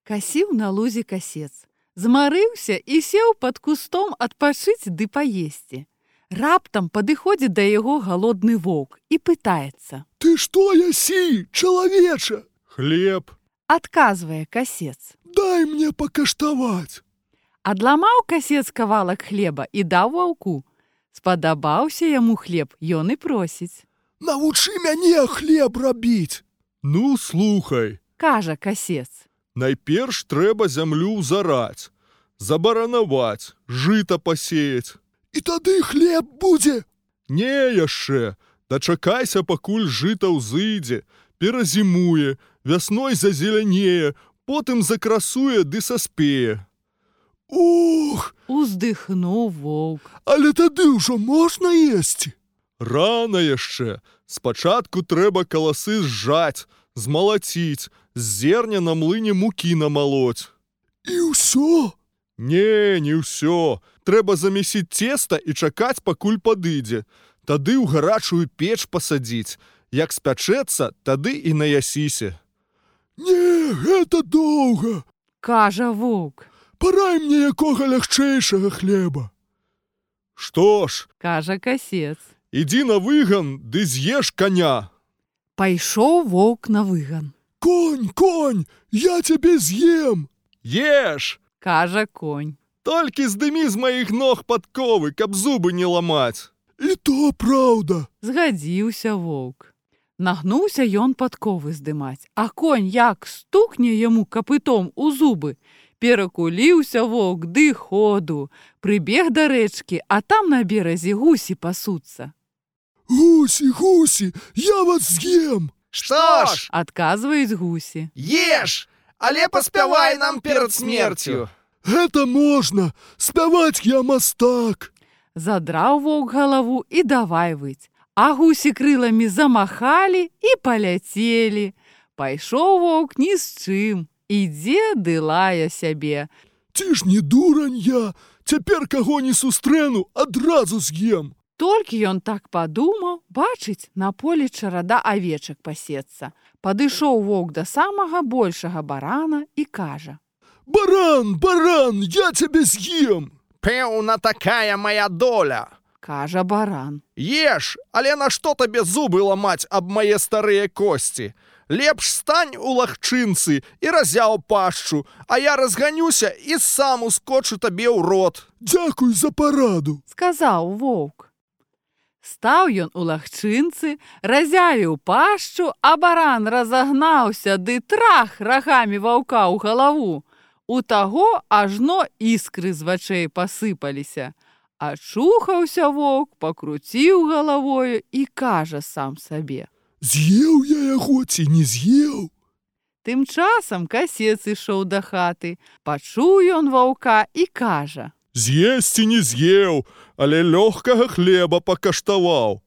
Касіў на лузе касец. Змарыўся і сеў пад кустом адпачыць ды паесці. Раптам падыходзіць да яго галодны воўк і пытаецца: «Ты што ясі, чалавеча?» «Хлеб», — адказвае касец. «Дай мне пакаштаваць». Адламаў касец кавалак хлеба і даў ваўку. Спадабаўся яму хлеб, ён і просіць: «Навучы мяне хлеб рабіць». «Ну, слухай», — кажа касец. «Найперш трэба зямлю зараць, забаранаваць, жыта пасеяць». «І тады хлеб будзе?» «Не яшчэ, дачакайся, пакуль жыта ўзыдзе, перазімуе, вясной зазелянее, потым закрасуе ды саспее». «Ух!» — уздыхнуў воўк. «Але тады ўжо можна есці?» «Рана яшчэ. Спачатку трэба каласы зжаць, змалаціць, з зерня на млыне мукі намалоць». «І ўсё?» Не ўсё. Трэба замесіць цеста і чакаць, пакуль падыдзе. Тады ў гарачую печ пасадзіць. Як спячэцца, тады і наясіся». «Не, гэта доўга», — кажа воўк. «Парай мне якога лягчэйшага хлеба». «Што ж», — кажа касец. «Ідзі на выган, ды з'еш каня». Пайшоў воўк на выган. Конь, я цябе з'ем». «Еш», — кажа конь. «Толькі здымі з маіх ног падковы, каб зубы не ламаць». «І то праўда», — згадзіўся воўк. Нагнуўся ён падковы здымаць, а конь як стукне яму капытом у зубы. Перакуліўся воўк ды ходу. Прыбег да рэчкі, а там на беразе гусі пасуцца. «Гусі, я вас з'ем». «Што ж?» — адказваюць гусі. «Еш, але паспявай нам перад смерцю». «Гэта можна, спяваць я мастак». Задраў воўк галаву і давай выць. А гусі крыламі замахалі і паляцелі. Пайшоў воўк ні з чым. Ідзе ды лае сябе. «Ці ж не дурань я, цяпер каго не сустрэну, адразу з'ем». Толькі ён так падумаў, бачыць, на полі чарада авечак пасецца. Падышоў воўк да самага большага барана і кажа: Баран, я цябе з'ем». «Пэўна, такая моя доля», — кажа баран. «Еш, але нашто табе зубы ламаць аб мае старыя косці? Лепш стань у лагчынцы і разяў пашчу, а я разганюся і сам ускочу табе ў рот». «Дзякуй за параду», — сказаў воўк. Стаў ён у лагчынцы, разявіў пашчу, а баран разагнаўся ды трах рагамі ваўка ў галаву. У таго ажно іскры з вачэй пасыпаліся. Ачухаўся воўк, пакруціў галавою і кажа сам сабе: «З'еў я яго ці не з'еў?» Тым часам касец ішоў да хаты. Пачуў ён ваўка і кажа: «З'есці не з'еў, але лёгкага хлеба пакаштаваў».